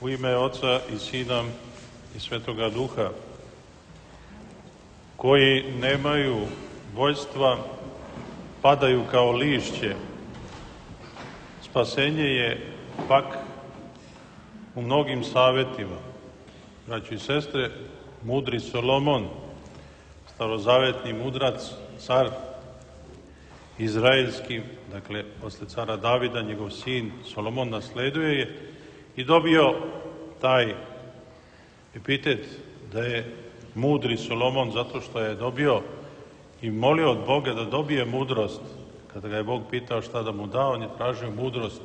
U ime Oca i Sina i Svetoga Duha, koji nemaju vođstva, padaju kao lišće. Spasenje je pak u mnogim savetima. Braćo i sestre, mudri Solomon, starozavetni mudrac, car izraelski, dakle, posle cara Davida, njegov sin Solomon nasleduje je i dobio taj epitet da je mudri Solomon zato što je dobio i molio od Boga da dobije mudrost. Kada ga je Bog pitao šta da mu da, on je tražio mudrost.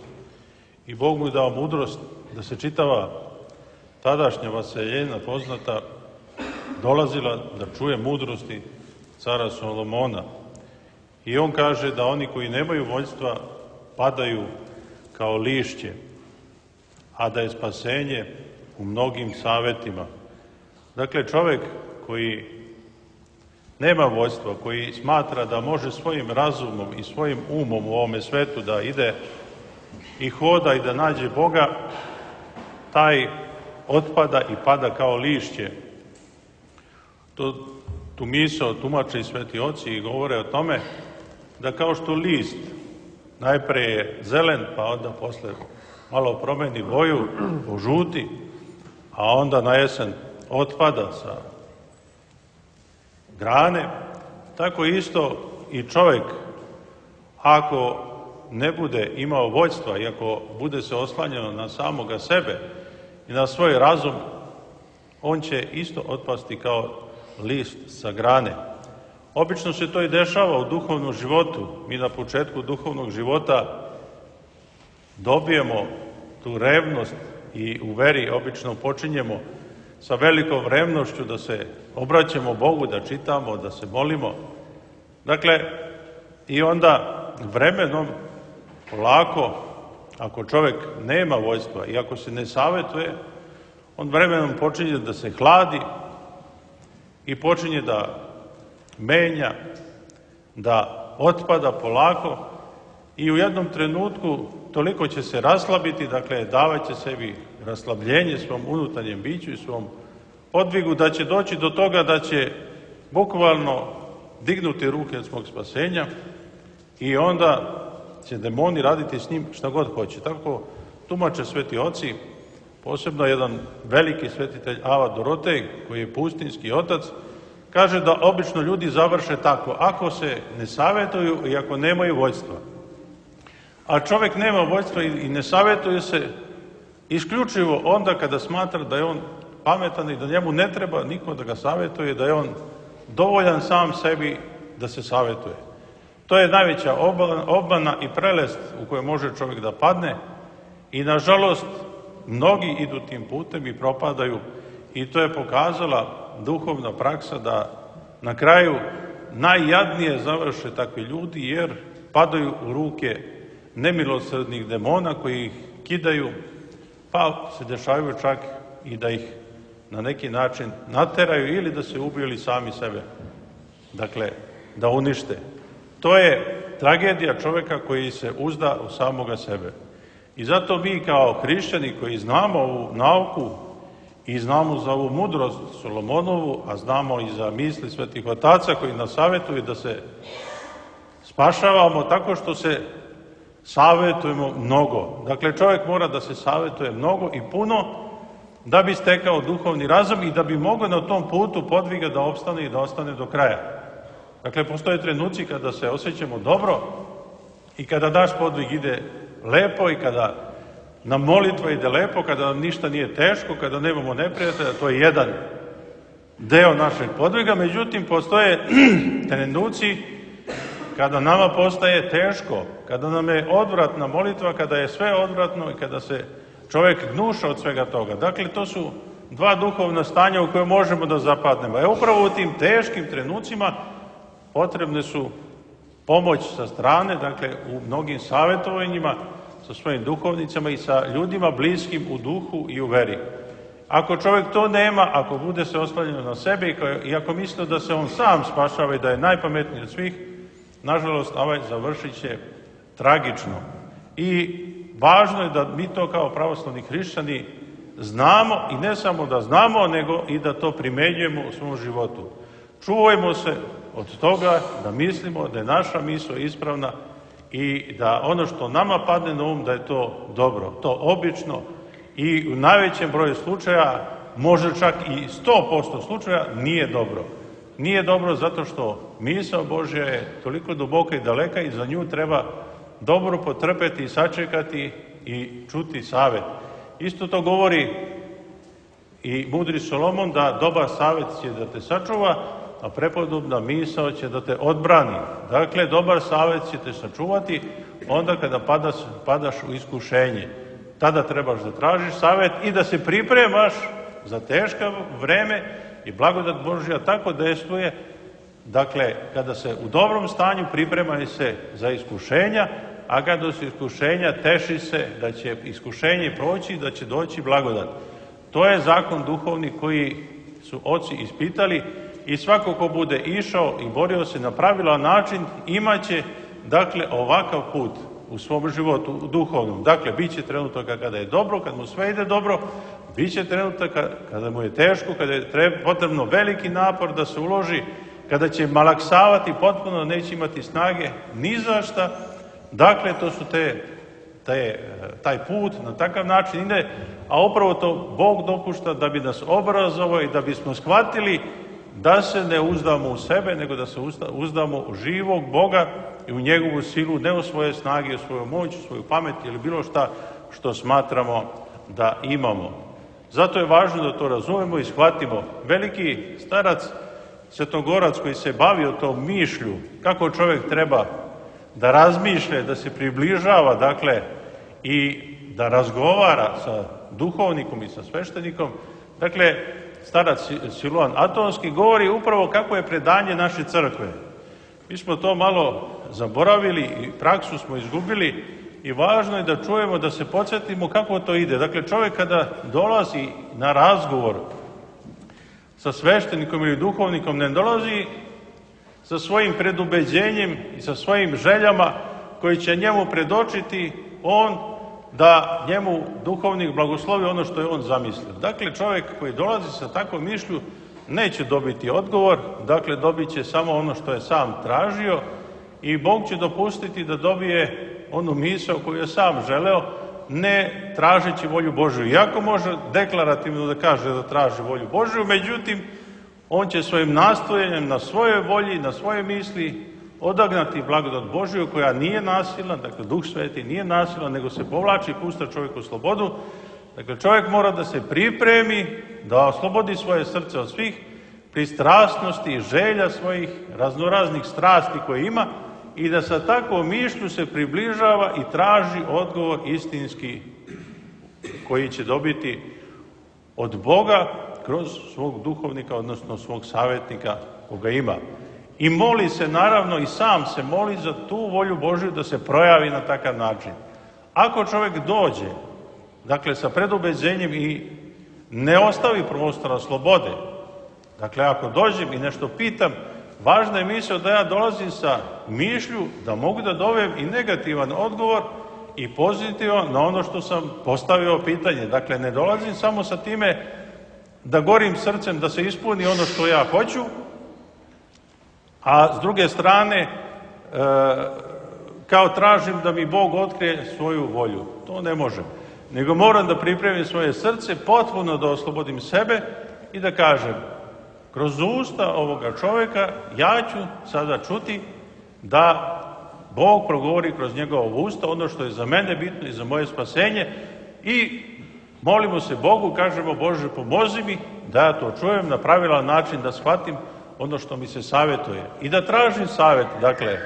I Bog mu je dao mudrost da se čitava tadašnja vaseljena poznata dolazila da čuje mudrosti cara Solomona. I on kaže da oni koji nemaju vođstva padaju kao lišće, a da je spasenje u mnogim savetima. Dakle, čovek koji nema vođstva, koji smatra da može svojim razumom i svojim umom u ovome svetu da ide i hoda i da nađe Boga, taj otpada i pada kao lišće. Tu misao tumače i sveti oci i govore o tome da kao što list najpre je zelen, pa onda posle malo promeni boju, požuti, a onda na jesen otpada sa grane, tako isto i čovjek, ako ne bude imao vođstva i ako bude se oslanjeno na samoga sebe i na svoj razum, on će isto otpasti kao list sa grane. Obično se to i dešava u duhovnom životu. Mi na početku duhovnog života dobijemo tu revnost i u veri obično počinjemo sa velikom revnošću da se obraćamo Bogu, da čitamo, da se molimo. Dakle, i onda vremenom, polako, ako čovjek nema vođstva i ako se ne savetuje, on vremenom počinje da se hladi i počinje da menja, da otpada polako i u jednom trenutku toliko će se raslabiti, dakle davat će sebi raslabljenje svom unutarnjem biću i svom podvigu, da će doći do toga da će bukvalno dignuti ruke od svog spasenja i onda će demoni raditi s njim šta god hoće. Tako tumače sveti oci, posebno jedan veliki svetitelj Ava Dorotej, koji je pustinski otac, kaže da obično ljudi završe tako, ako se ne savjetuju i ako nemaju vođstva. A čovjek nema vođstva i ne savjetuje se isključivo onda kada smatra da je on pametan i da njemu ne treba niko da ga savjetuje, da je on dovoljan sam sebi da se savjetuje. To je najveća obmana i prelest u kojoj može čovjek da padne i nažalost mnogi idu tim putem i propadaju i to je pokazala duhovna praksa da na kraju najjadnije završe takvi ljudi jer padaju u ruke nemilosrdnih demona koji ih kidaju, pa se dešavaju čak i da ih na neki način nateraju ili da se ubiju ili sami sebe, dakle, da unište. To je tragedija čovjeka koji se uzda u samoga sebe. I zato mi kao hrišćani koji znamo ovu nauku i znamo za ovu mudrost Solomonovu, a znamo i za misli svetih otaca koji nas savjetuju da se spašavamo tako što se savjetujemo mnogo. Dakle, čovjek mora da se savjetuje mnogo i puno da bi stekao duhovni razum i da bi mogao na tom putu podviga da opstane i da ostane do kraja. Dakle, postoje trenuci kada se osjećamo dobro i kada naš podvig ide lepo i kada nam molitva ide lepo, kada nam ništa nije teško, kada nemamo neprijatelja, to je jedan deo našeg podviga. Međutim, postoje trenuci kada nama postaje teško, kada nam je odvratna molitva, kada je sve odvratno i kada se čovjek gnuša od svega toga. Dakle, to su dva duhovna stanja u koje možemo da zapadnemo. Upravo u tim teškim trenucima potrebne su pomoć sa strane, dakle, u mnogim savjetovanjima sa svojim duhovnicama i sa ljudima bliskim u duhu i u veri. Ako čovjek to nema, ako bude se oslanjeno na sebe i ako misli da se on sam spašava i da je najpametniji od svih, nažalost, ovaj završit će tragično. I važno je da mi to kao pravoslavni hrišćani znamo i ne samo da znamo, nego i da to primjenjujemo u svom životu. Čuvajmo se od toga da mislimo da je naša misao ispravna i da ono što nama padne na um da je to dobro. To obično i u najvećem broju slučaja, može čak i 100% slučaja, nije dobro. Nije dobro zato što misao Božja je toliko duboka i daleka i za nju treba dobro potrpeti i sačekati i čuti savet. Isto to govori i mudri Solomon, da dobar savet će da te sačuva, a prepodobna misao će da te odbrani. Dakle, dobar savet će te sačuvati onda kada padaš u iskušenje. Tada trebaš da tražiš savet i da se pripremaš za teško vreme i blagodat Božja tako dejstvuje. Dakle, kada se u dobrom stanju pripremaj se za iskušenja, a kada su iskušenja teši se da će iskušenje proći i da će doći blagodat. To je zakon duhovni koji su oci ispitali i svako ko bude išao i borio se na pravilan način imaće, dakle, ovakav put u svom životu duhovnom. Dakle, bit će trenutaka kada je dobro, kad mu sve ide dobro, bit će trenutaka kada mu je teško, kada je potrebno veliki napor da se uloži, kada će malaksavati potpuno, neće imati snage ni za šta. Dakle, to su taj put na takav način ide, a upravo to Bog dopušta da bi nas obrazovao i da bismo shvatili da se ne uzdamo u sebe, nego da se uzdamo u živog Boga i u njegovu silu, ne u svoje snage, u svoju moć, u svoju pamet ili bilo šta što smatramo da imamo. Zato je važno da to razumemo i shvatimo. Veliki starac Svetogorac koji se bavio tom mišlju, kako čovjek treba da razmišlja, da se približava, dakle, i da razgovara sa duhovnikom i sa sveštenikom, dakle, starac Siluan Atonski govori upravo kako je predanje naše crkve. Mi smo to malo zaboravili i praksu smo izgubili i važno je da čujemo, da se podsjetimo kako to ide. Dakle, čovjek kada dolazi na razgovor sa sveštenikom ili duhovnikom, ne dolazi sa svojim predubeđenjem i sa svojim željama koji će njemu predočiti on, da njemu duhovnik blagoslovi ono što je on zamislio. Dakle, čovjek koji dolazi sa takvom mišlju neće dobiti odgovor, dakle, dobit će samo ono što je sam tražio i Bog će dopustiti da dobije onu misao koju je sam želeo, ne tražeći volju Božju. Iako može deklarativno da kaže da traži volju Božju, međutim, on će svojim nastojanjem na svojoj volji, na svoje misli odagnati blagodat Božju koja nije nasilna, dakle Duh Sveti nije nasilan, nego se povlači i pušta čovjeku slobodu. Dakle, čovjek mora da se pripremi, da oslobodi svoje srce od svih pristrasnosti i želja svojih raznoraznih strasti koje ima i da sa takvom mišlju se približava i traži odgovor istinski koji će dobiti od Boga kroz svog duhovnika, odnosno svog savjetnika koga ima. I moli se, naravno, i sam se moli za tu volju Božju da se projavi na takav način. Ako čovjek dođe, dakle, sa predubeđenjem i ne ostavi prostora slobode, dakle, ako dođem i nešto pitam, važna je misao da ja dolazim sa mišlju da mogu da dobijem i negativan odgovor i pozitivan na ono što sam postavio pitanje. Dakle, ne dolazim samo sa time da gorim srcem da se ispuni ono što ja hoću, a s druge strane kao tražim da mi Bog otkrije svoju volju. To ne može. Nego moram da pripremim svoje srce, potpuno da oslobodim sebe i da kažem, kroz usta ovoga čovjeka ja ću sada čuti da Bog progovori kroz njegovo usta ono što je za mene bitno i za moje spasenje i molimo se Bogu, kažemo, Bože, pomozi mi da ja to čujem na pravilan način, da shvatim ono što mi se savjetuje i da tražim savjet. Dakle,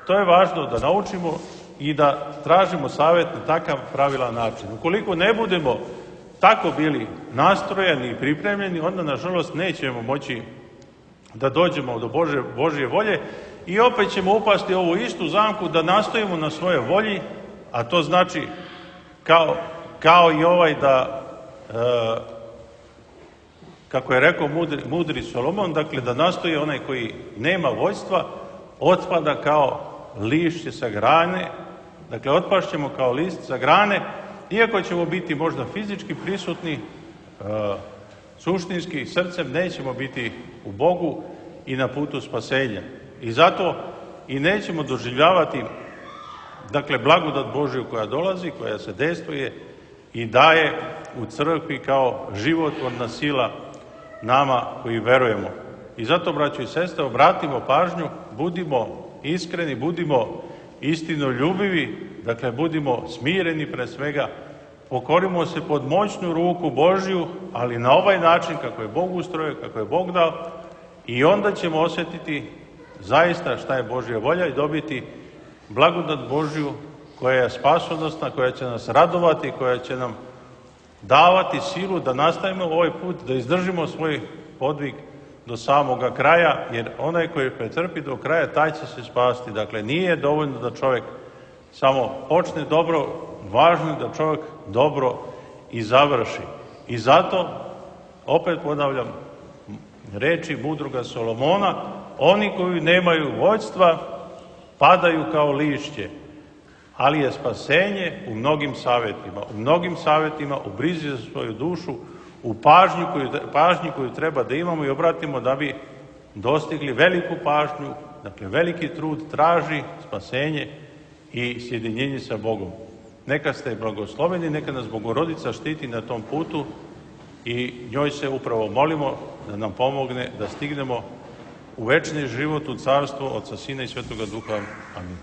to je važno da naučimo i da tražimo savjet na takav pravilan način. Ukoliko ne budemo tako bili nastrojeni i pripremljeni, onda, nažalost, nećemo moći da dođemo do Božje volje i opet ćemo upasti u ovu istu zamku da nastojimo na svoje volji, a to znači kao i ovaj da, kako je rekao mudri Solomon, dakle, da nastoji onaj koji nema vođstva, otpada kao lišće sa grane, dakle, otpašćemo kao list sa grane Iako ćemo biti možda fizički prisutni, suštinski, srcem nećemo biti u Bogu i na putu spasenja. I zato i nećemo doživljavati, dakle, blagodat Božju koja dolazi, koja se dejstvuje i daje u crkvi kao životvorna sila nama koji verujemo. I zato, braćo i sestre, obratimo pažnju, budimo iskreni, budimo istinoljubivi, dakle, budimo smireni pre svega, pokorimo se pod moćnu ruku Božju, ali na ovaj način kako je Bog ustrojio, kako je Bog dao, i onda ćemo osjetiti zaista šta je Božja volja i dobiti blagodat Božju koja je spasonosna, koja će nas radovati, koja će nam davati silu da nastavimo ovaj put, da izdržimo svoj podvig do samoga kraja, jer onaj koji pretrpi do kraja, taj će se spasti. Dakle, nije dovoljno da čovjek samo počne dobro, važno je da čovjek dobro i završi. I zato, opet ponavljam, reči mudroga Solomona, oni koji nemaju vođstva padaju kao lišće, ali je spasenje u mnogim savjetima, u brizi za svoju dušu, u pažnji koju treba da imamo i obratimo da bi dostigli veliku pažnju, dakle veliki trud traži spasenje i sjedinjenje sa Bogom. Neka ste blagosloveni, neka nas Bogorodica štiti na tom putu i njoj se upravo molimo da nam pomogne da stignemo u večni život, u carstvo Otca, Sina i Svetoga Duha. Amin.